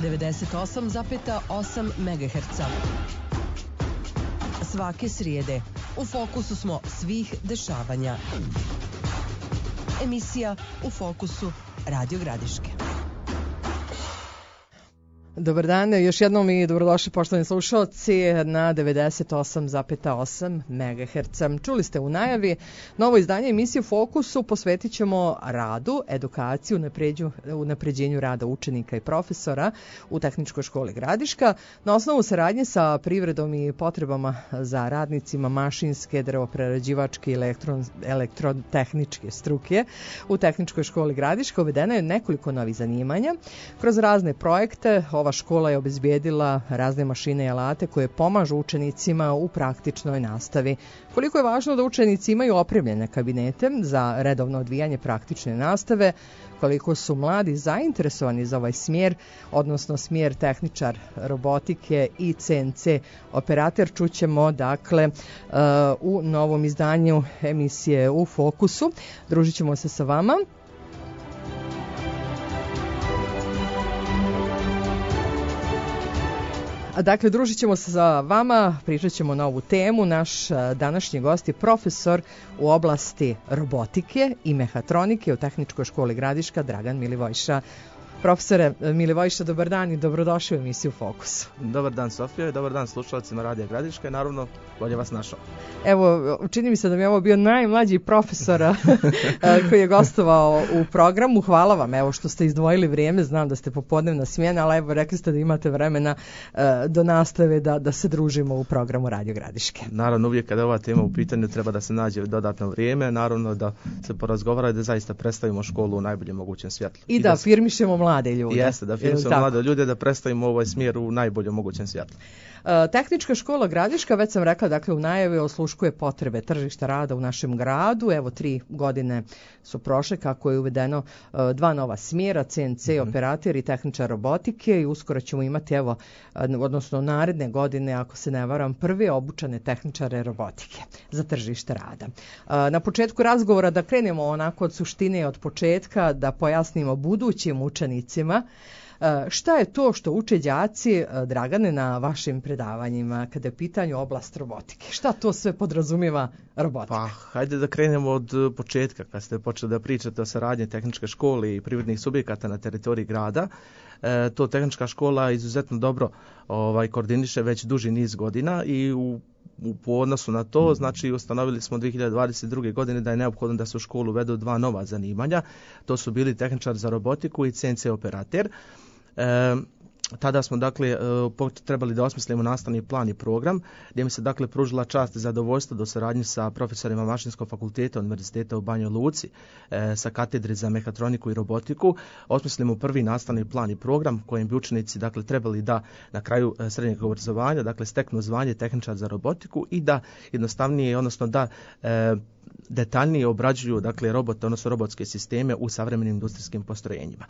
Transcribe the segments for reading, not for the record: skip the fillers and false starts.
98,8 MHz. Svake srijede u fokusu smo svih dešavanja. Emisija U fokusu Radio Gradiške. Dobar dan, još jednom i dobrodošli poštovani slušalci na 98,8 MHz. Čuli ste u najavi, novo izdanje emisije Fokusu posvetit ćemo radu, edukaciju, unapređenju rada učenika i profesora u Tehničkoj školi Gradiška na osnovu saradnje sa privredom i potrebama za radnicima mašinske, drvoprerađivačke i elektrotehničke struke. U Tehničkoj školi Gradiška uvedeno je nekoliko novih zanimanja. Kroz razne projekte ova škola je obezbijedila razne mašine i alate koje pomažu učenicima u praktičnoj nastavi. Koliko je važno da učenici imaju opremljene kabinete za redovno odvijanje praktične nastave, koliko su mladi zainteresovani za ovaj smjer, odnosno smjer tehničar robotike i CNC operator, čućemo dakle u novom izdanju emisije U fokusu. Družit ćemo se sa vama. Dakle, družit ćemo se sa vama, pričat ćemo na ovu temu. Naš današnji gost je profesor u oblasti robotike i mehatronike u Tehničkoj školi Gradiška, Dragan Milivojša. Profesore Milivojša, dobar dan i dobrodošli u emisiju Fokus. Dobar dan Sofija i dobar dan slušalcima Radija Gradiška i naravno bolje vas našao. Evo, čini mi se da mi je ovo bio najmlađi profesor koji je gostovao u programu. Hvala vam evo što ste izdvojili vrijeme, znam da ste popodnevna smjena, ali evo rekli ste da imate vremena do nastave da se družimo u programu Radio Gradiške. Naravno, uvijek kada je ova tema u pitanju treba da se nađe dodatno vrijeme, naravno da se porazgovara i da zaista predstavimo školu u najboljem mogućem svjetlu. I da afirmišemo mlade ljude. Jeste, da afirmišemo mlade ljude, da predstavimo ovaj smjer u najboljem mogućem svjetlu. Tehnička škola Gradiška, već sam rekla, dakle u najavi osluškuje potrebe tržišta rada u našem gradu. Evo 3 godine su prošle kako je uvedeno 2 nova smjera, CNC operator i tehničar robotike i uskoro ćemo imati odnosno naredne godine, ako se ne varam, prve obučane tehničare robotike za tržište rada. Na početku razgovora da krenemo onako od suštine i od početka, da pojasnimo budućim učenicima šta je to što uče đaci, Dragane, na vašim predavanjima kada je pitanju oblast robotike? Šta to sve podrazumijeva robotika? Pa, hajde da krenemo od početka, kad ste počeli da pričate o saradnji Tehničke škole i privrednih subjekata na teritoriji grada. To Tehnička škola izuzetno dobro koordiniše već duži niz godina i po odnosu na to, znači ustanovili smo 2022. godine da je neophodno da se u školu uvedu 2 nova zanimanja. To su bili tehničar za robotiku i CNC operator. Tada smo dakle trebali da osmislimo nastavni plan i program gdje mi se dakle pružila čast i zadovoljstvo do saradnje sa profesorima Mašinskog fakulteta Univerziteta u Banjoj Luci sa katedre za mehatroniku i robotiku. Osmislimo prvi nastavni plan i program kojim bi učenici dakle trebali da na kraju srednjeg obrazovanja dakle steknu zvanje tehničar za robotiku i da jednostavnije, odnosno da detaljnije obrađuju dakle robote, odnosno robotske sisteme u savremenim industrijskim postrojenjima.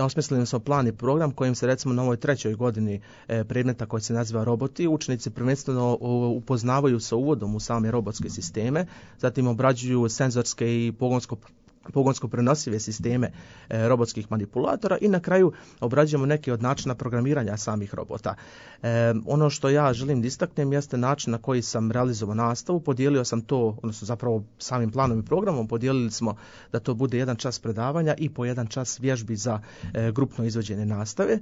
Osmislili smo plan i program kojim se recimo na ovoj 3. godini predmeta koji se naziva roboti, učenici prvenstveno upoznavaju sa uvodom u same robotske sisteme, zatim obrađuju senzorske i pogonsko prenosive sisteme robotskih manipulatora i na kraju obrađujemo neke od načina programiranja samih robota. Ono što ja želim da istaknem jeste način na koji sam realizovao nastavu. Podijelio sam to, odnosno zapravo samim planom i programom podijelili smo da to bude 1 čas predavanja i po 1 čas vježbi za grupno izvođenje nastave.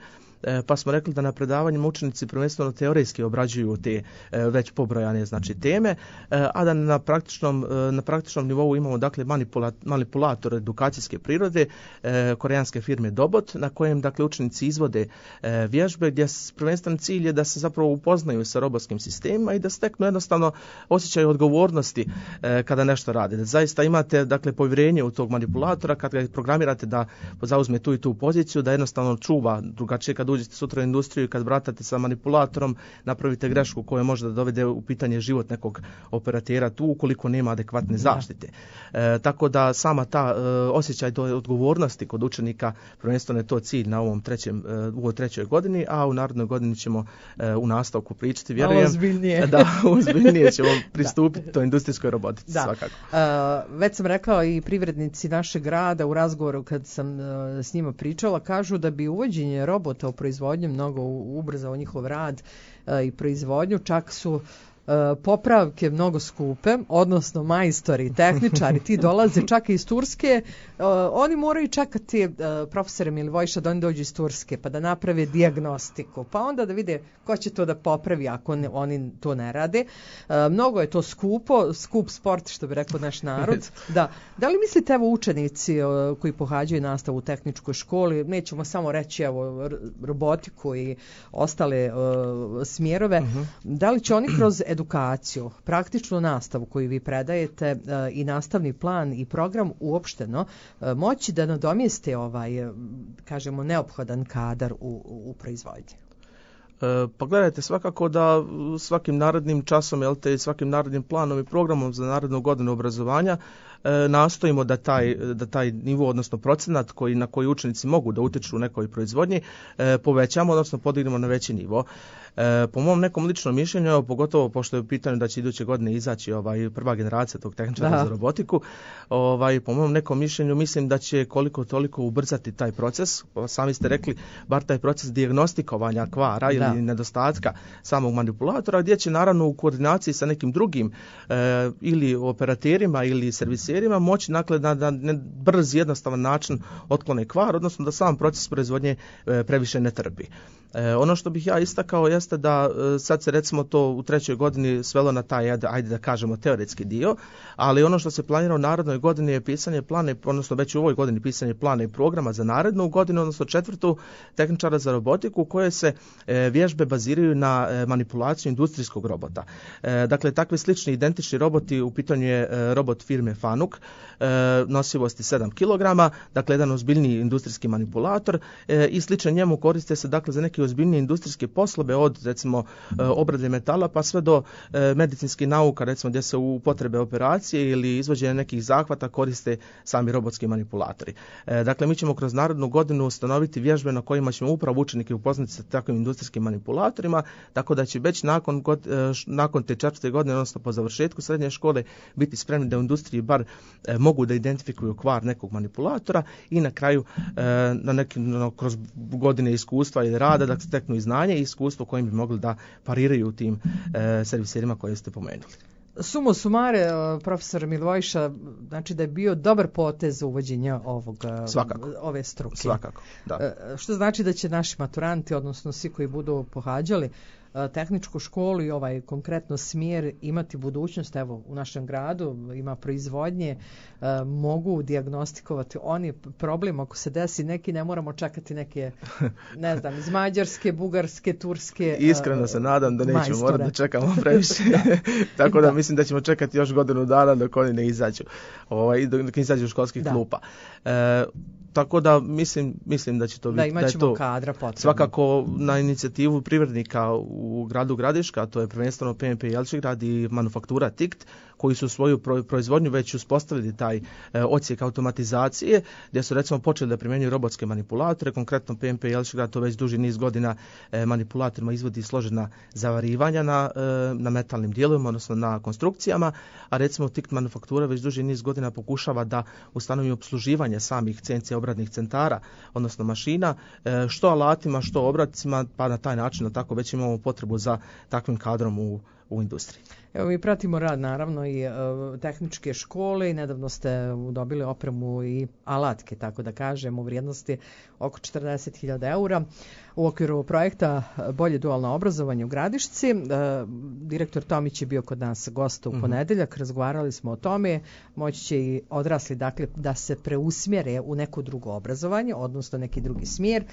Pa smo rekli da na predavanjima učenici prvenstveno teorijski obrađuju te već pobrojane znači teme, a da na praktičnom nivou imamo dakle manipulator edukacijske prirode koreanske firme Dobot, na kojem dakle učenici izvode vježbe gdje prvenstveni cilj je da se zapravo upoznaju sa robotskim sistemima i da steknu jednostavno osjećaj odgovornosti kada nešto rade. Da zaista imate dakle povjerenje u tog manipulatora kada ga programirate da zauzme tu i tu poziciju, da jednostavno čuva, drugačije kad uđete sutra u industriju i kad bratate sa manipulatorom napravite grešku koja može da dovede u pitanje život nekog operatera tu ukoliko nema adekvatne zaštite. Tako da sama ta osjećaj odgovornosti kod učenika, prvenstveno je to cilj na u ovoj trećoj godini, a u narednoj godini ćemo u nastavku pričati, vjerujem, ozbiljnije ćemo pristupiti toj industrijskoj robotici svakako. Već sam rekla i privrednici našeg grada u razgovoru kad sam s njima pričala, kažu da bi uvođenje robota u proizvodnju mnogo ubrzao njihov rad i proizvodnju, čak su popravke mnogo skupe, odnosno majstori, tehničari, ti dolaze čak i iz Turske, oni moraju čekati profesore Milivojša da oni dođu iz Turske pa da naprave dijagnostiku, pa onda da vide ko će to da popravi ako oni to ne rade. Mnogo je to skup sport, što bi rekao naš narod. Da li mislite, evo, učenici koji pohađaju nastavu u tehničkoj školi, nećemo samo reći evo robotiku i ostale smjerove, da li će oni kroz edukaciju, praktičnu nastavu koju vi predajete i nastavni plan i program uopšteno moći da nadomjeste kažemo, neophodan kadar u proizvodnji? Pa gledajte, svakako da svakim narednim časom, svakim narednim planom i programom za narednu godinu obrazovanja nastojimo da taj nivo, odnosno procenat na koji učenici mogu da utječu u nekoj proizvodnji povećamo, odnosno podignemo na veći nivo. Po mom nekom ličnom mišljenju, pogotovo pošto je u pitanju da će iduće godine izaći prva generacija tog tehničara za robotiku, po mom nekom mišljenju mislim da će koliko toliko ubrzati taj proces. Sami ste rekli, bar taj proces dijagnostikovanja kvara ili nedostatka samog manipulatora, gdje će naravno u koordinaciji sa nekim drugim ili operaterima ili serviserima moći na brz, jednostavan način otklone kvar, odnosno da sam proces proizvodnje previše ne trpi. Ono što bih ja istakao jeste da sad se recimo to u trećoj godini svelo na taj, ajde da kažemo, teoretski dio, ali ono što se planira u narednoj godini je pisanje plana, odnosno već u ovoj godini pisanje plana i programa za narednu godinu, odnosno četvrtu tehničara za robotiku, koje se vježbe baziraju na manipulaciju industrijskog robota. Dakle, takvi slični identični roboti, u pitanju je robot firme Fanuc, nosivosti 7 kg, dakle jedan ozbiljniji industrijski manipulator i sličan njemu koriste se dakle za neke ozbiljnije industrijske poslove, od recimo obrade metala pa sve do medicinskih nauka, recimo gdje se u potrebe operacije ili izvođenja nekih zahvata koriste sami robotski manipulatori. Dakle, mi ćemo kroz narednu godinu ustanoviti vježbe na kojima ćemo upravo učenike upoznati sa takvim industrijskim manipulatorima, tako da će već nakon te četvrte godine, odnosno po završetku srednje škole, biti spremni da u industriji bar mogu da identifikuju kvar nekog manipulatora i na kraju kroz godine iskustva i rada da steknu i znanje i iskustvo kojim bi mogli da pariraju u tim serviserima koje ste pomenuli. Sumo sumare, profesor Milivojša, znači da je bio dobar potez uvođenja ove struke. Svakako, da. Što znači da će naši maturanti, odnosno svi koji budu pohađali tehničku školu i ovaj konkretno smjer imati budućnost. Evo, u našem gradu ima proizvodnje, mogu dijagnostikovati oni problem ako se desi neki, ne moramo čekati neke, ne znam, iz Mađarske, Bugarske, Turske. Iskreno se nadam da nećemo morati da čekamo previše. Tako da mislim da ćemo čekati još godinu dana dok oni ne izađu, dok izađu u školskih klupa. Tako da mislim da će to biti, da je to kadra potrebno. Svakako na inicijativu privrednika u gradu Gradiška, to je prvenstveno PMP Jelčigrad i manufaktura TICT, koji su svoju proizvodnju već uspostavili taj odsjek automatizacije, gdje su recimo počeli da primjenjuju robotske manipulatore. Konkretno PMP Jelčigrad to već duži niz godina manipulatorima izvodi složena zavarivanja na metalnim dijelovima, odnosno na konstrukcijama, a recimo TICT manufaktura već duži niz godina pokušava da ustanovi opsluživanje samih CNC obradnih centara, odnosno mašina, što alatima, što obradcima, pa na taj način tako već imamo potrebu za takvim kadrom u industriji. Evo, mi pratimo rad naravno i tehničke škole i nedavno ste dobili opremu i alatke, tako da kažem, u vrijednosti oko 40.000 eura u okviru projekta Bolje dualno obrazovanje u Gradišci. Direktor Tomić je bio kod nas gost u ponedeljak, razgovarali smo o tome, moći će i odrasli dakle, da se preusmjere u neko drugo obrazovanje, odnosno neki drugi smjer.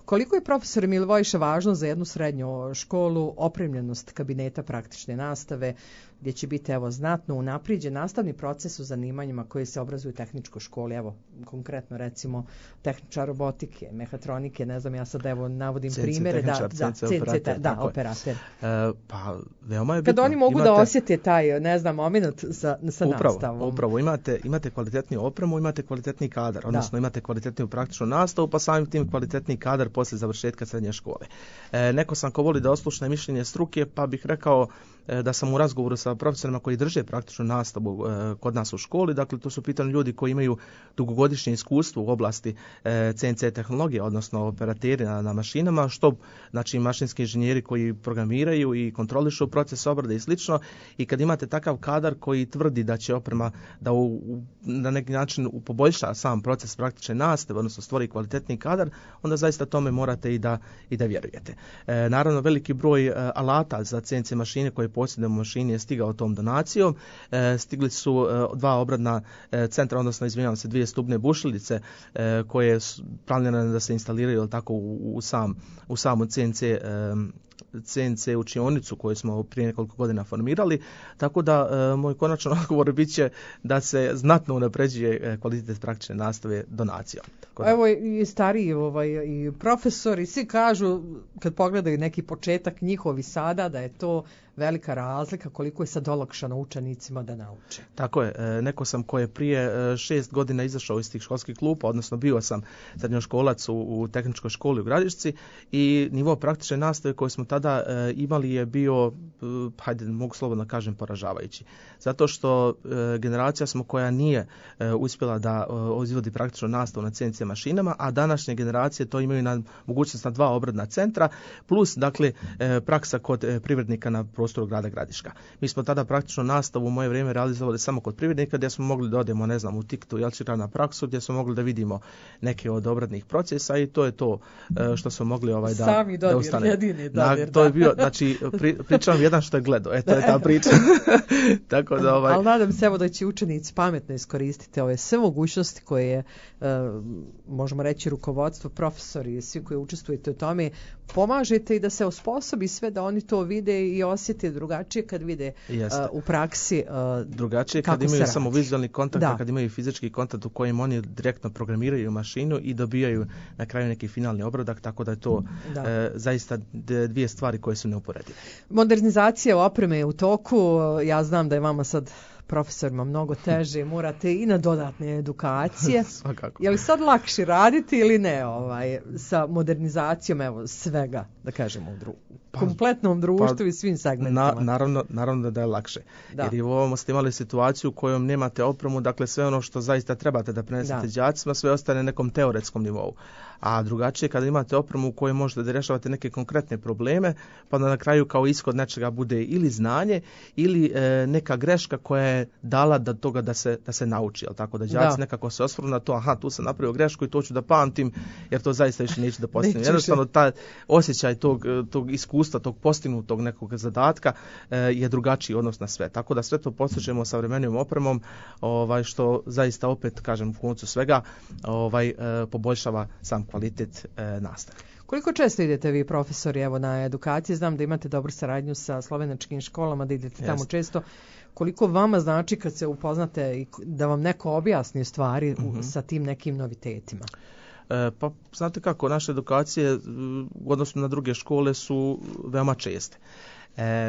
Koliko je, profesor Milivojša, važno za jednu srednju školu opremljenost kabineta praktične nastave? gdje će biti znatno unaprijeđen nastavni proces u zanimanjima koji se obrazuju u tehničkoj školi. Konkretno recimo tehničar robotike, mehatronike, ne znam, ja sad navodim CNC primjere. tehničar, operater. Pa veoma je bitno. Kad oni mogu da osjete taj, ne znam, moment sa nastavom. Upravo, imate kvalitetniju opremu, imate kvalitetni kadar, odnosno imate kvalitetniju praktičnu nastavu, pa samim tim kvalitetni kadar poslije završetka srednje škole. Neko sam ko voli da oslušne mišljenje struke, pa bih rekao da sam u razgovoru sa profesorima koji drže praktičnu nastavu kod nas u školi, dakle to su pitani ljudi koji imaju dugogodišnje iskustvo u oblasti CNC tehnologije, odnosno operateri na mašinama, što znači mašinski inženjeri koji programiraju i kontrolišu proces obrade i slično, i kad imate takav kadar koji tvrdi da će oprema da na neki način poboljša sam proces praktične nastave, odnosno stvori kvalitetni kadar, onda zaista tome morate i da vjerujete. Naravno, veliki broj alata za CNC mašine koje posjedujemo u mašini je stigao tom donacijom. Stigli su 2 obradna centra, odnosno izvinjavam se, 2 stubne bušilice koje su planirane da se instaliraju tako u samu CNC učionicu koju smo prije nekoliko godina formirali, tako da moj konačan odgovor bit će da se znatno unapređuje kvalitet praktične nastave donacijom. Evo i stariji i profesori, svi kažu kad pogledaju neki početak njihovi sada da je to velika razlika koliko je sad olakšano učenicima da nauče. Tako je. Neko sam ko je prije 6 godina izašao iz tih školskih klupa, odnosno bio sam srednjoškolac u tehničkoj školi u Gradišci i nivo praktične nastave koje smo tada imali je bio, mogu slobodno kažem, poražavajući. Zato što generacija smo koja nije uspjela da izvodi praktičnu nastavu na CNC mašinama, a današnje generacije to imaju na mogućnost na 2 obradna centra, plus dakle praksa kod privrednika na prostoru grada Gradiška. Mi smo tada praktično nastavu u moje vrijeme realizovali samo kod privrednika, gdje smo mogli da odemo, ne znam, u Tiktu Jelčira na praksu, gdje smo mogli da vidimo neke od obradnih procesa i to je to što smo mogli da ustane. Jedini dodir, to je bio, znači, pričam jedan što je gledao, to je ta priča. Tako da, Ali nadam se da će učenici pametno iskoristiti ove sve mogućnosti koje možemo reći rukovodstvo, profesori i svi koji učestvujete u tome, pomažete i da se osposobi sve da oni to vide i osjete drugačije kad vide u praksi drugačije kad imaju samo vizualni kontakt, a kad imaju fizički kontakt u kojem oni direktno programiraju mašinu i dobijaju na kraju neki finalni obradak, tako da je to zaista 2 stvari koje su neuporedive. Modernizacija opreme je u toku. Ja znam da je vama sad profesorima mnogo teže, morate i na dodatne edukacije. Je li sad lakše raditi ili ne sa modernizacijom svega, da kažemo, u kompletnom društvu i svim segmentima? Naravno da je lakše. Jer i u ovom ste imali situaciju u kojom nemate opremu, dakle sve ono što zaista trebate da prenesete đacima, sve ostane na nekom teoretskom nivou. A drugačije kada imate opremu u kojoj možete da rješavate neke konkretne probleme, pa da na kraju kao ishod nečega bude ili znanje ili neka greška koja je dala do toga da se nauči. Tako da đaci nekako se osvrnu na to, tu sam napravio grešku i to ću da pamtim, jer to zaista više neću da postignem. Jednostavno, taj osjećaj tog iskustva, tog postignutog nekog zadatka je drugačiji odnos na sve. Tako da sve to postižemo savremenim opremom, što zaista opet, kažem, u koncu svega poboljšava sam kvalitet nastave. Koliko često idete vi, profesori, na edukaciji? Znam da imate dobru saradnju sa slovenačkim školama, da idete tamo često. Koliko vama znači kad se upoznate i da vam neko objasni stvari sa tim nekim novitetima? Pa znate kako, naše edukacije u odnosu na druge škole su veoma česte.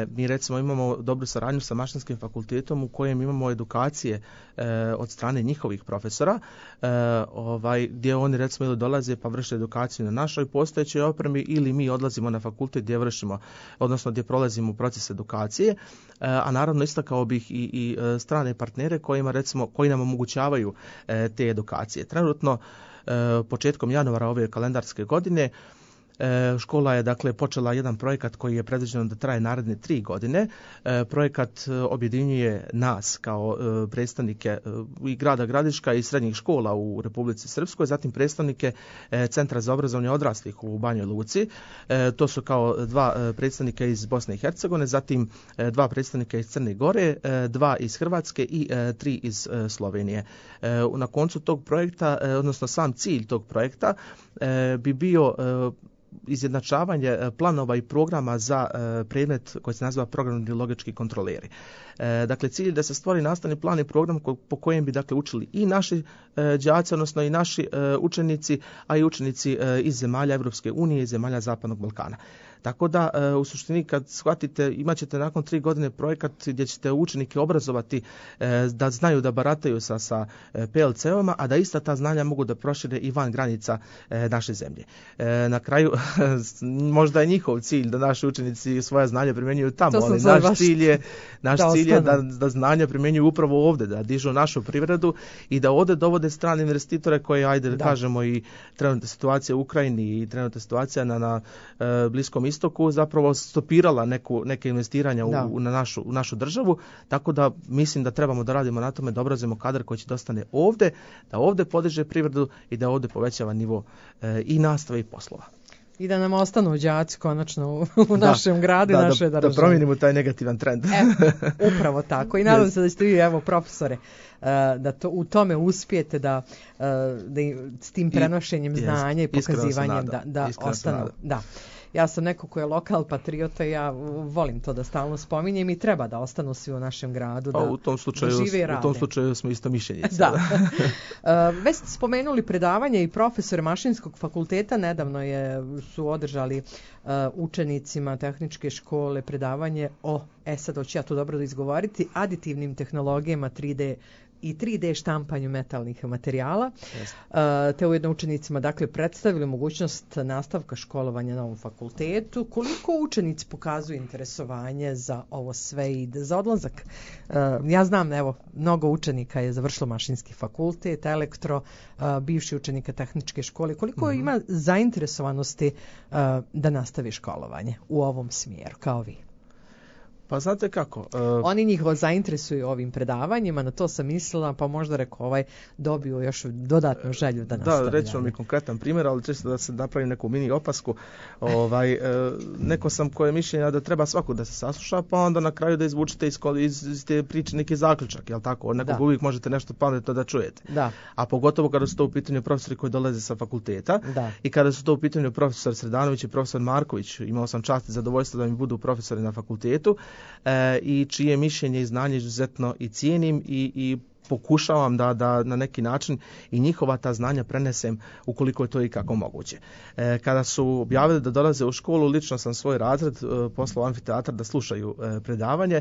Mi recimo imamo dobru saradnju sa Mašinskim fakultetom u kojem imamo edukacije od strane njihovih profesora, gdje oni recimo ili dolaze pa vrše edukaciju na našoj postojećoj opremi ili mi odlazimo na fakultet gdje vršimo, odnosno gdje prolazimo proces edukacije, a naravno istakao bih i strane partnere koji nam omogućavaju te edukacije. Trenutno početkom januara ove kalendarske godine škola je dakle počela jedan projekat koji je predviđen da traje naredne 3 godine. Projekat objedinjuje nas kao predstavnike i grada Gradiška i srednjih škola u Republici Srpskoj, zatim predstavnike Centra za obrazovanje odraslih u Banjoj Luci. To su kao 2 predstavnika iz Bosne i Hercegovine, zatim 2 predstavnika iz Crne Gore, 2 iz Hrvatske i 3 iz Slovenije. Na koncu tog projekta, odnosno sam cilj tog projekta bi bio izjednačavanje planova i programa za predmet koji se naziva programni logički kontroleri. Dakle, cilj je da se stvori nastavni plan i program po kojem bi dakle učili i naši đaci, odnosno i naši učenici, a i učenici iz zemalja Europske unije i zemalja Zapadnog Balkana. Tako da u suštini kad shvatite, imat ćete nakon 3 godine projekat gdje ćete učenike obrazovati da znaju da barataju sa PLC-ovima, a da ista ta znanja mogu da prošire i van granica naše zemlje. Na kraju možda je njihov cilj da naši učenici svoja znanja primjenjuju tamo, ali naš cilj je da znanja primjenjuju upravo ovdje, da dižu našu privredu i da ovdje dovode strane investitore koje, ajde da kažemo, i trenutna situacija u Ukrajini i trenutna situacija na Bliskom istoku zapravo stopirala neke investiranja u našu državu, tako da mislim da trebamo da radimo na tome da obrazujemo kadar koji će dostane ovdje, da ovdje podiže privredu i da ovdje povećava nivo i nastave i poslova. I da nam ostanu đaci konačno u našem gradu i našoj državi. Da promijenimo taj negativan trend. Upravo tako. I nadam se da ćete vi, evo, profesore, da u tome uspijete da s tim prenošenjem znanja i pokazivanjem da ostanu. Da. Ja sam neko ko je lokal patriota i ja volim to da stalno spominjem i treba da ostanu svi u našem gradu, da žive i rade. U tom slučaju smo isto mišljenjice. Da. Već ste spomenuli predavanje i profesore Mašinskog fakulteta, nedavno su održali učenicima tehničke škole predavanje sad hoću ja to dobro da izgovoriti, aditivnim tehnologijama 3D i 3D štampanju metalnih materijala. Te ujedno učenicima dakle predstavili mogućnost nastavka školovanja na ovom fakultetu. Koliko učenici pokazuju interesovanje za ovo sve i za odlazak? Ja znam, evo, mnogo učenika je završilo Mašinski fakultet, elektro, bivši učenika tehničke škole. Koliko ima zainteresovanosti da nastavi školovanje u ovom smjeru, kao vi? Pa znate kako? Oni njih zainteresuju ovim predavanjima, na to sam mislila, pa možda rekao dobiju još dodatnu želju da nastavi. Da, reći vam i konkretan primjer, ali čisto da se napravim neku mini opasku. Neko sam koje mišljenja da treba svako da se sasluša, pa onda na kraju da izvučete iz te priče neki zaključak, jel tako? Od nekog uvijek možete nešto pametno da čujete. Da. A pogotovo kada su to u pitanju profesori koji dolaze sa fakulteta i kada su to u pitanju profesor Sredanović i profesor Marković, imao sam čast i zadovoljstvo da mi budu profesori na fakultetu, i čije mišljenje i znanje izuzetno i cijenim i pokušavam da na neki način i njihova ta znanja prenesem ukoliko je to i kako moguće. Kada su objavili da dolaze u školu, lično sam svoj razred poslao amfiteatar da slušaju predavanje.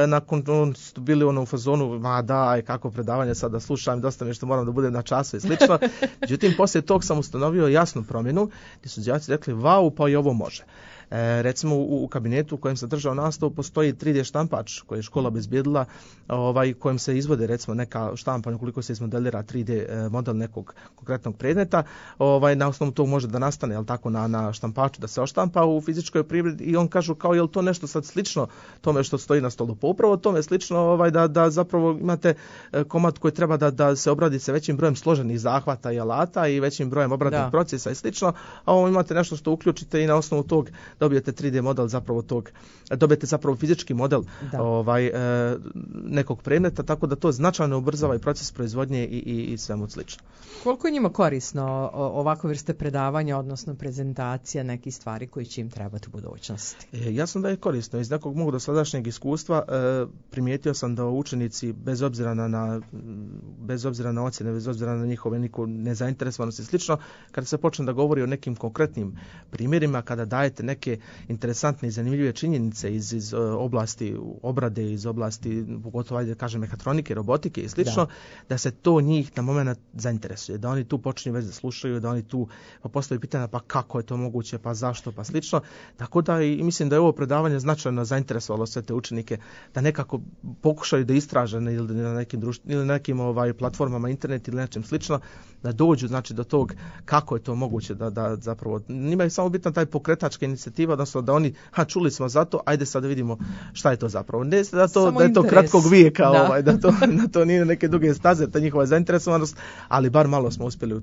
Nakon su bili u fazonu, kako predavanje sad da slušam, dosta mi što moram da budem na času i slično. Međutim, poslije tog sam ustanovio jasnu promjenu gdje su đaci rekli, pa i ovo može. Recimo u kabinetu u kojem sam držao nastavu postoji 3D štampač koji je škola obezbijedila, kojem se izvode recimo neka štampanja ukoliko se izmodelira 3D model nekog konkretnog predmeta, na osnovu tog može da nastane, jel tako, na štampaču da se oštampa u fizičkoj privredi i on kažu kao je li to nešto sad slično tome što stoji na stolu. Pa upravo tome slično da zapravo imate komad koji treba da se obradi sa većim brojem složenih zahvata i alata i većim brojem obradnih procesa i slično, a ovo imate nešto što uključite i na osnovu tog dobijete 3D model dobijete zapravo fizički model nekog predmeta, tako da to značajno ubrzava i proces proizvodnje i svemu slično. Koliko je njima korisno ovakve vrste predavanja, odnosno prezentacija nekih stvari koji će im trebati u budućnosti? Jasno da je korisno. Iz nekog mog dosadašnjeg iskustva primijetio sam da učenici bez obzira na ocjene, bez obzira na njihove nezainteresovanost i slično, kada se počne da govori o nekim konkretnim primjerima, kada dajete neke interesantne i zanimljive činjenice iz oblasti obrade, iz oblasti pogotovo mehatronike, robotike i slično, da se to njih na moment zainteresuje, da oni tu počinju već da slušaju, da oni tu postavljaju pitanja pa kako je to moguće, pa zašto, pa slično. Tako da i mislim da je ovo predavanje značajno zainteresovalo sve te učenike da nekako pokušaju da istraže ili na nekim platformama internet ili nečem slično, da dođu do tog kako je to moguće da zapravo njima je samo bitna taj pokretačka inicijativa, odnosno da oni, čuli smo za to, ajde sad da vidimo šta je to zapravo. Ne da je to kratkog vijeka, da to nije neke duge staze, ta njihova zainteresovanost, ali bar malo smo uspjeli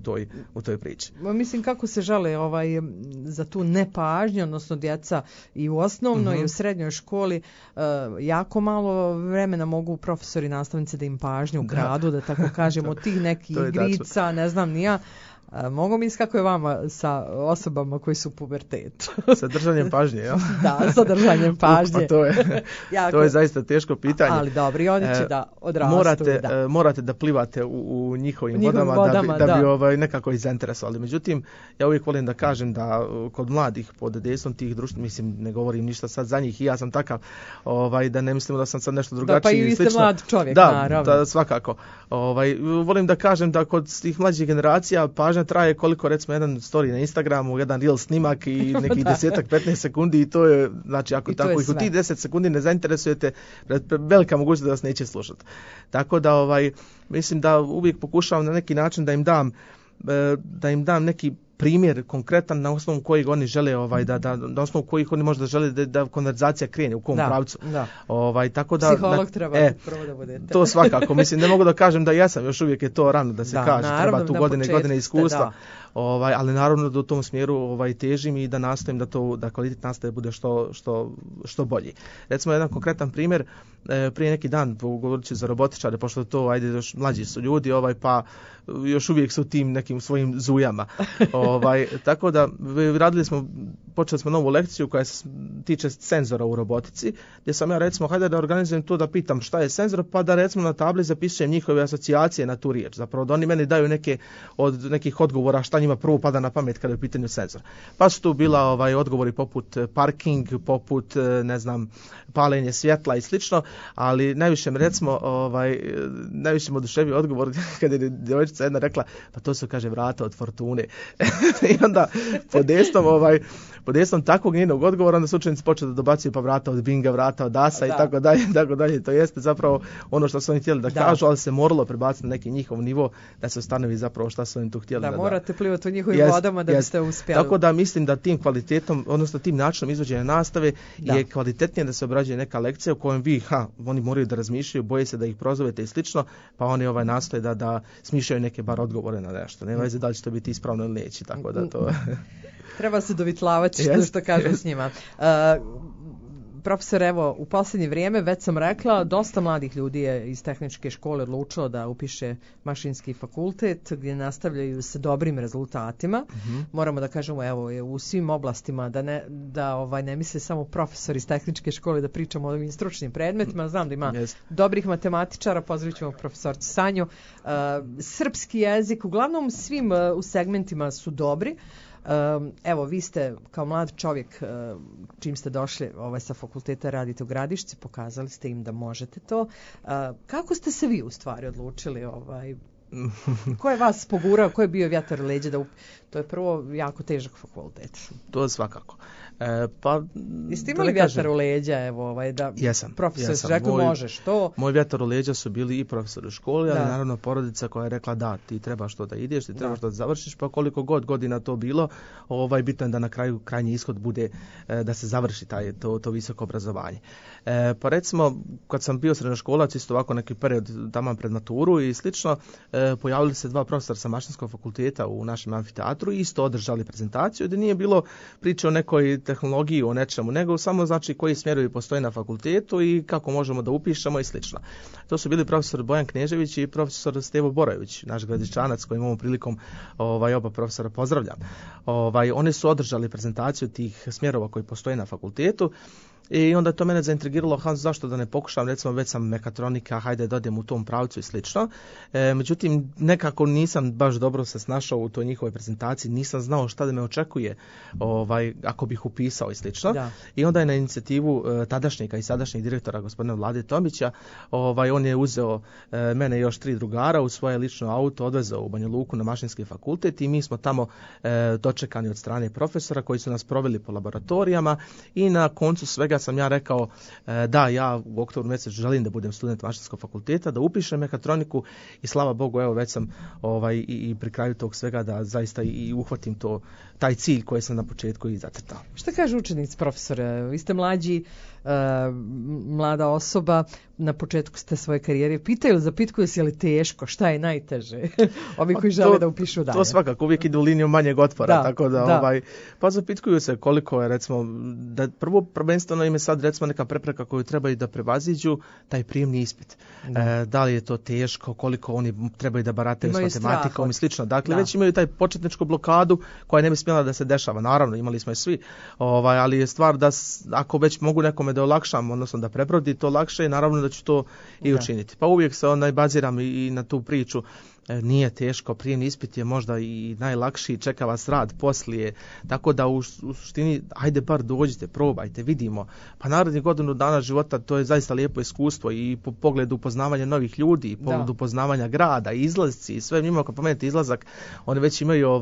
u toj priči. Mislim kako se žale za tu nepažnju, odnosno djeca i u osnovnoj i u srednjoj školi, jako malo vremena mogu profesori i nastavnici da im pažnju ukradu, da tako kažemo, tih nekih igrica, ne znam ni ja. Mogu misliti kako je vama sa osobama koji su u pubertetu? Sa držanjem pažnje, jel? Da, sa držanjem pažnje. Pa to je zaista teško pitanje. Ali dobro, i oni će da odrastu. Morate da plivate u njihovim vodama da bi nekako ih zainteresovali. Međutim, ja uvijek volim da kažem da kod mladih pod dejstvom tih društva, mislim, ne govorim ništa sad za njih i ja sam takav, da ne mislimo da sam sad nešto drugačiji. Da, pa i vi ste mlad čovjek, naravno. Da, svakako. Volim da kažem da kod tih mlađih generacija pažnja traje koliko, recimo, jedan story na Instagramu, jedan reel snimak i nekih 10-15 sekundi i to je, znači, ako tako ih u tih 10 sekundi ne zainteresujete, velika mogućnost da vas neće slušati. Tako da, mislim da uvijek pokušavam na neki način da im dam neki primjer konkretan na osnovu kojeg oni žele na osnovu kojih oni možda žele da konverzacija krene u kom pravcu. Tako da psiholog treba prvo da budete. To svakako, mislim, ne mogu da kažem da jesam, još uvijek je to rano da se kaže, treba tu godine iskustva. Ali naravno da u tom smjeru težim i da nastojim da kvalitet nastave bude što bolji. Recimo jedan konkretan primjer, prije neki dan, govorit ću za robotičare, pošto to, još mlađi su ljudi, pa još uvijek su u tim nekim svojim zujama. Tako da počeli smo novu lekciju koja se tiče senzora u robotici, gdje sam ja, recimo, hajde da organizujem to, da pitam šta je senzor, pa da, recimo, na tabli zapisujem njihove asocijacije na tu riječ. Zapravo da oni meni daju nekih odgovora šta njima prvo pada na pamet kada je u pitanju senzor. Pa su tu bila odgovori poput parking, poput, ne znam, palenje svjetla i slično, ali najviše me, recimo, najviše me oduševio odgovor kada je djevojčica jedna rekla, pa to su, kaže, vrata od fortune. I onda pod destom takvog njenog odgovora onda su učenici počeli da dobacuju, pa vrata od binga, vrata od asa i tako dalje. To jeste zapravo ono što su oni htjeli da kažu, ali se moralo prebaciti na neki njihov nivo da se ustanovi zapravo šta su oni tu htjeli. Da, morate plivati u njihovim vodama da biste uspjeli. Tako da mislim da tim kvalitetom, odnosno tim načinom izvođenja nastave je kvalitetnije da se obrađuje neka lekcija u kojem oni moraju da razmišljaju, boje se da ih prozovete i slično, pa oni nastoje da smišljaju neke bar odgovore na nešto. Ne veze da li će to biti ispravno ili neće, tako da to... Treba se dovitlavati što kažem s njima. Profesor, evo, u posljednje vrijeme, već sam rekla, dosta mladih ljudi je iz tehničke škole odlučilo da upiše mašinski fakultet gdje nastavljaju sa dobrim rezultatima. Moramo da kažemo, evo, u svim oblastima, da ne misle samo profesor iz tehničke škole da pričamo o ovim stručnim predmetima. Znam da ima dobrih matematičara, pozdravit ćemo profesorcu Sanju. Srpski jezik, uglavnom svim u segmentima su dobri. Evo, vi ste kao mlad čovjek, čim ste došli sa fakulteta, radite u Gradišci, pokazali ste im da možete to. Kako ste se vi u stvari odlučili? Ko je vas pogurao, ko je bio vjetar u leđa? To je prvo jako težak fakultet. To je svakako. Jeste imali vjetar u leđa, da profesor su rekli možeš to? Moj vjetar u leđa su bili i profesor u školi, ali naravno porodica koja je rekla da, ti trebaš to da ideš, ti trebaš da završiš, pa koliko god godina to bilo, bitno je da na kraju krajnji ishod bude da se završi to visoko obrazovanje. Pa recimo, kad sam bio srednjoškolac, isto ovako neki period tamo pred maturu i slično, pojavili se dva profesora sa mašinskog fakulteta u našem amfiteatru i isto održali prezentaciju, gdje nije bilo priče o nekoj tehnologiji, o nečemu, nego samo znači koji smjerovi postoje na fakultetu i kako možemo da upišemo i slično. To su bili profesor Bojan Knežević i profesor Stevo Borojević, naš Gradiščanac kojim ovom prilikom oba profesora pozdravljam. Oni su održali prezentaciju tih smjerova koji postoje na fakultetu. I onda to mene zaintrigiralo, zašto da ne pokušam, recimo već sam mekatronika, hajde da odem u tom pravcu i slično. Međutim, nekako nisam baš dobro se snašao u toj njihovoj prezentaciji, nisam znao šta da me očekuje ako bih upisao i slično. Da. I onda je na inicijativu tadašnjega i sadašnjeg direktora gospodina Vlade Tomića, on je uzeo mene i još 3 drugara u svoje lično auto, odvezao u Banja Luku na mašinski fakultet i mi smo tamo dočekani od strane profesora koji su nas proveli po laboratorijama i na koncu svega sam ja rekao da ja u oktobru mjesecu želim da budem student mašinskog fakulteta, da upišem mekatroniku i slava Bogu, evo već sam i pri kraju tog svega da zaista i uhvatim taj cilj koji sam na početku i zacrtao. Šta kaže učenici, profesore? Vi ste mlađi, mlada osoba, na početku ste svoje karijere, zapitkuju se je li teško, šta je najteže? Ovi koji žele da upišu dalje. To svakako, uvijek idu u liniju manjeg otpora, tako da. Pa zapitkuju se koliko je, recimo, da prvo prvenstveno im je sad, recimo, neka prepreka koju trebaju da prevaziđu, taj prijemni ispit. Da li je to teško, koliko oni trebaju da barataju s matematikom i slično. Dakle, već imaju taj početničku blokadu koja ne bi smjela da se dešava. Naravno, imali smo je svi, ali je stvar da ako već mogu nekome da olakšam, odnosno da prebrodi to lakše, i naravno da ću to i učiniti. Pa uvijek se baziram i na tu priču. Nije teško, prijemni ispit je možda i najlakši, čeka vas rad poslije, tako da u suštini, ajde bar dođite, probajte, vidimo. Pa narednih godinu dana života to je zaista lijepo iskustvo i po pogledu upoznavanja novih ljudi, i pogledu upoznavanja grada, izlazci i sve njima, ako pomenete izlazak, oni već imaju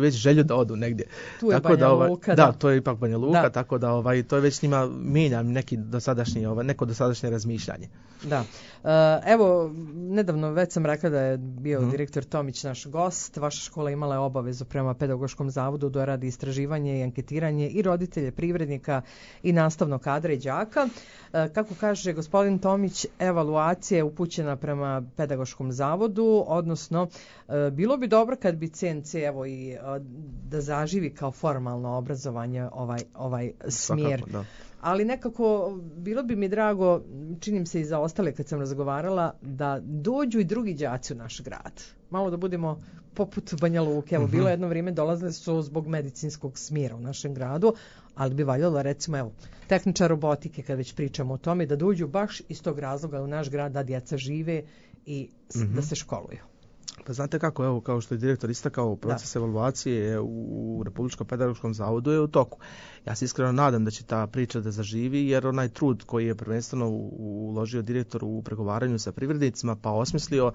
već želju da odu negdje. Tu je tako Banja Luka. Da, to je ipak Banja Luka, tako da to je već njima mijenja neko dosadašnje razmišljanje. Da. Evo, nedavno već sam rekla da je bio direktor Tomić naš gost. Vaša škola imala je obavezu prema Pedagoškom zavodu da radi istraživanje i anketiranje i roditelje, privrednika i nastavnog kadra i đaka. Kako kaže gospodin Tomić, evaluacija je upućena prema Pedagoškom zavodu, odnosno bilo bi dobro kad bi CNC da zaživi kao formalno obrazovanje ovaj smjer. Svakako, da. Ali nekako bilo bi mi drago, činim se i za ostale kad sam razgovarala, da dođu i drugi đaci u naš grad. Malo da budemo poput Banja Luke. Evo, bilo jedno vrijeme dolazili su zbog medicinskog smjera u našem gradu, ali bi valjalo, recimo, tehničar robotike, kad već pričamo o tome, da dođu baš iz tog razloga u naš grad, da djeca žive i da se školuju. Pa znate kako, evo, kao što je direktor istakao, proces evaluacije u Republičkom pedagoškom zavodu je u toku. Ja se iskreno nadam da će ta priča da zaživi, jer onaj trud koji je prvenstveno uložio direktor u pregovaranju sa privrednicima, pa osmislio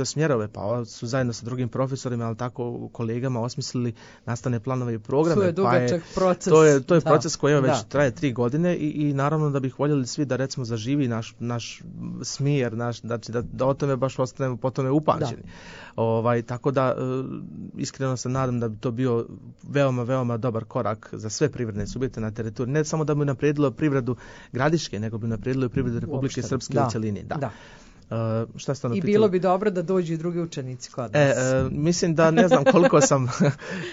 smjerove, pa su zajedno sa drugim profesorima, ali tako kolegama, osmislili nastavne planove i programe. To je dugačak proces. To je proces koji već traje 3 godine i naravno da bih voljeli svi da, recimo, zaživi naš smjer, znači da o tome baš ostanemo po tome upamćeni. Tako da iskreno se nadam da bi to bio veoma, veoma dobar korak za sve privredne subjekte na teritoriju. Ne samo da bi unaprijedilo privredu Gradiške, nego bi unaprijedilo i privredu Republike Srpske u cjelini. Da. Šta ste I bilo bi dobro da dođu i drugi učenici kod nas. Mislim da ne znam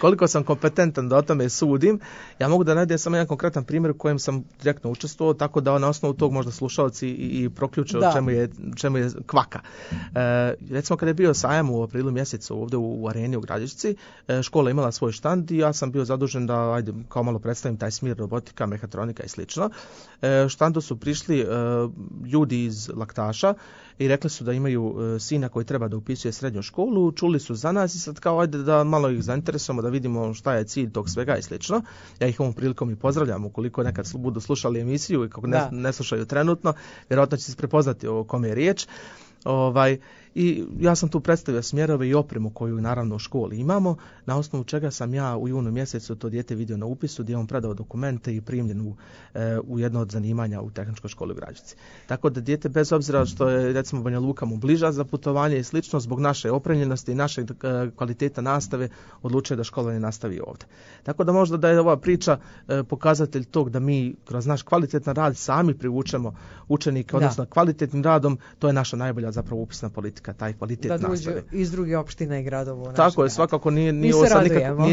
koliko sam kompetentan da o tome sudim. Ja mogu da navedem samo jedan konkretan primjer u kojem sam direktno učestvovao, tako da na osnovu tog možda slušalci i proključe o čemu je kvaka. Recimo kada je bio sajam u aprilu mjesecu ovdje u areni u Gradišci, škola imala svoj štand i ja sam bio zadužen da kao malo predstavim taj smjer robotika, mehatronika i slično. Štandu su prišli ljudi iz Laktaša i rekli su da imaju sina koji treba da upisuje srednju školu, čuli su za nas i sad kao ajde da malo ih zainteresujemo, da vidimo šta je cilj tog svega i slično. Ja ih ovom prilikom i pozdravljam, ukoliko nekad budu slušali emisiju i kako ne slušaju trenutno, vjerojatno će se prepoznati o kome je riječ. I ja sam tu predstavio smjerove i opremu koju naravno u školi imamo, na osnovu čega sam ja u junu mjesecu to dijete vidio na upisu, gdje je on predao dokumente i primljen u jedno od zanimanja u tehničkoj školi u Građici. Tako da dijete, bez obzira što je recimo Banja Luka mu bliža za putovanje i slično, zbog naše opremljenosti i naše kvaliteta nastave odlučuje da školovanje nastavi ovdje. Tako da možda da je ova priča pokazatelj tog da mi kroz naš kvalitetan rad sami privučemo učenike, odnosno kvalitetnim radom, to je naša najbolja zapravo upisna politika, taj kvalitet nastave. Da dođu iz drugih opština i gradova. Tako je, svakako nije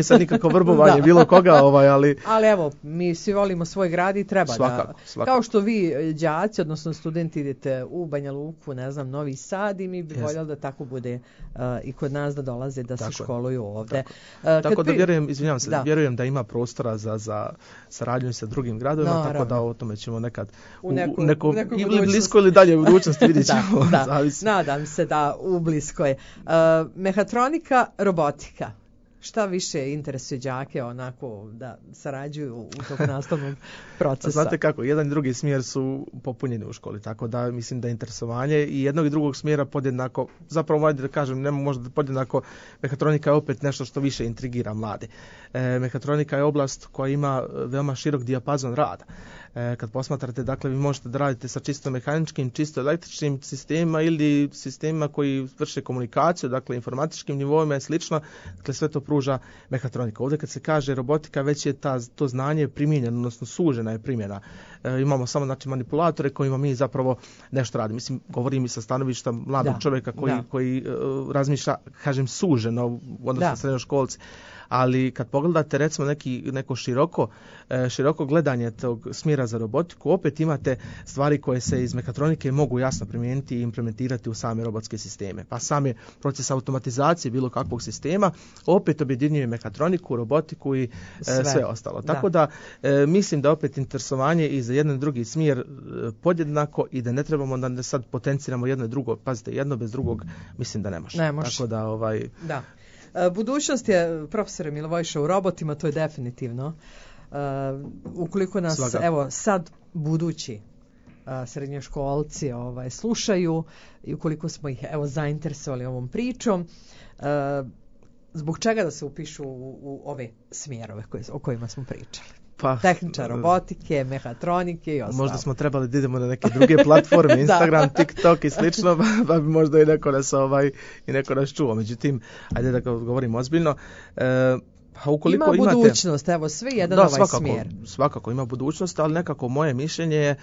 sad nikako vrbovanje bilo koga, ali... Ali evo, mi svi volimo svoj grad i treba svakako. Kao što vi, đaci, odnosno studenti, idete u Banja Luku, ne znam, Novi Sad, i mi bi voljeli da tako bude i kod nas, da dolaze, da se školuju ovdje. Tako da vjerujem da ima prostora za saradnju sa drugim gradovima, tako da o tome ćemo nekad u ili blisko ili dalje u budućnosti vidjet ćemo. Nadam se da u bliskoj. Mehatronika, robotika. Šta više interesuje đake onako da sarađuju u tog nastavnog procesa? Znate kako, jedan i drugi smjer su popunjeni u školi, tako da mislim da interesovanje i jednog i drugog smjera podjednako, zapravo da kažem, ne možda podjednako, mehatronika je opet nešto što više intrigira mlade. Mehatronika je oblast koja ima veoma širok dijapazon rada. Kad posmatrate, dakle, vi možete da radite sa čisto mehaničkim, čisto električnim sistemima ili sistemima koji vrše komunikaciju, dakle, informatičkim nivoima i slično, dakle, sve to pruža mehatronika. Ovdje kad se kaže robotika, već je to znanje primijenjeno, odnosno sužena je primjena. Imamo samo, znači, manipulatore kojima mi zapravo nešto radimo. Mislim, govorim i sa stanovišta mladog čovjeka koji razmišlja, kažem, suženo, odnosno srednjoškolci. Ali kad pogledate recimo neko široko gledanje tog smjera za robotiku, opet imate stvari koje se iz mehatronike mogu jasno primijeniti i implementirati u same robotske sisteme. Pa sami proces automatizacije bilo kakvog sistema opet objedinjuje mehatroniku, robotiku i sve ostalo. Tako da mislim da opet interesovanje i za jedan i drugi smjer podjednako i da ne trebamo da sad potenciramo jedno i drugo. Pazite, jedno bez drugog mislim da ne može. Tako da Da. Budućnost je, profesore Milivojša, u robotima, to je definitivno. Ukoliko nas, evo, sad budući srednjoškolci slušaju i ukoliko smo ih, evo, zainteresovali ovom pričom, zbog čega da se upišu u ove smjerove o kojima smo pričali? Tehničar robotike, mehatronike i ostalo. Možda smo trebali da idemo na neke druge platforme, Instagram, TikTok i slično, pa bi možda i neko nas čuo. Međutim, ajde da govorimo ozbiljno. Ima budućnost, evo, sve jedan smjer. Svakako ima budućnost, ali nekako moje mišljenje je,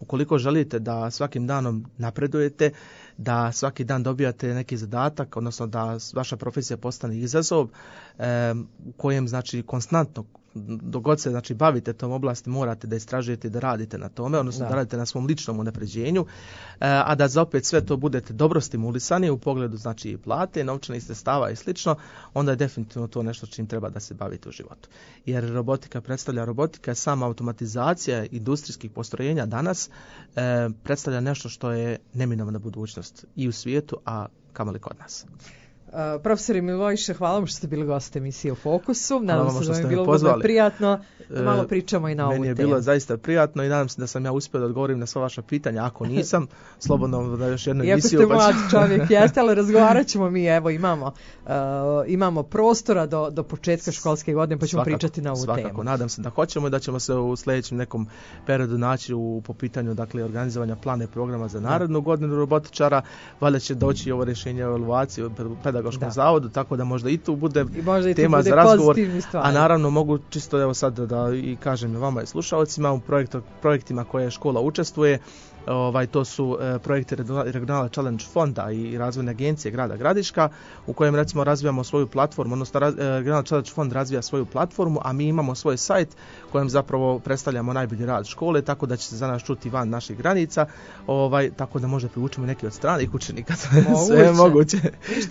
ukoliko želite da svakim danom napredujete, da svaki dan dobijate neki zadatak, odnosno da vaša profesija postane izazov u kojem, znači, konstantno dok god se, znači, bavite tom oblasti, morate da istražujete i da radite na tome, odnosno da radite na svom ličnom unapređenju, a da za opet sve to budete dobro stimulisani u pogledu, znači, plate, novčanih sredstava i slično, onda je definitivno to nešto čim treba da se bavite u životu. Jer robotika je sama automatizacija industrijskih postrojenja danas, predstavlja nešto što je neminovna budućnost i u svijetu, a kamoli kod nas. Profesor Milivojša, hvala vam što ste bili gost emisije u Fokusu. Nadam se da vam je bilo vrlo prijatno da malo pričamo i na ovu temu. Meni je bilo zaista prijatno i nadam se da sam ja uspio da odgovorim na sva vaša pitanja. Ako nisam, slobodno da još jednu emisiju. Iako ste mlad čovjek, jeste, ali razgovarat ćemo mi, evo, imamo prostora do početka školske godine, pa ćemo pričati na ovu temu. Svakako, nadam se da hoćemo i da ćemo se u sljedećem nekom periodu naći po pitanju, dakle, organizovanja plana i programa za narednu godinu robotičara. Valjda će doći ovo rješenje o evaluaciji pedagoškom zavodu, tako da možda i tu bude tema za razgovor. A naravno mogu čisto, evo, sad da i kažem vama i slušalcima, u projektima koje škola učestvuje. To su projekti Regionalne Challenge fonda i razvojne agencije grada Gradiška, u kojem, recimo, razvijamo svoju platformu, odnosno Regionalni Challenge fond razvija svoju platformu, a mi imamo svoj sajt kojem zapravo predstavljamo najbolji rad škole, tako da će se za nas čuti van naših granica, tako da možda privučemo neki od stranih učenika, sve je moguće.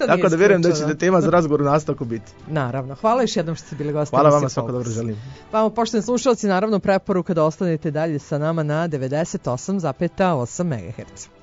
Tako da vjerujem da će tema za razgovor u nastavku biti. Naravno, hvala još jednom što ste bili gosti. Hvala vama, svako dobro želim. Vama, poštovani slušalci, naravno preporuka da ostanete dalje sa nama na 98,8 MHz.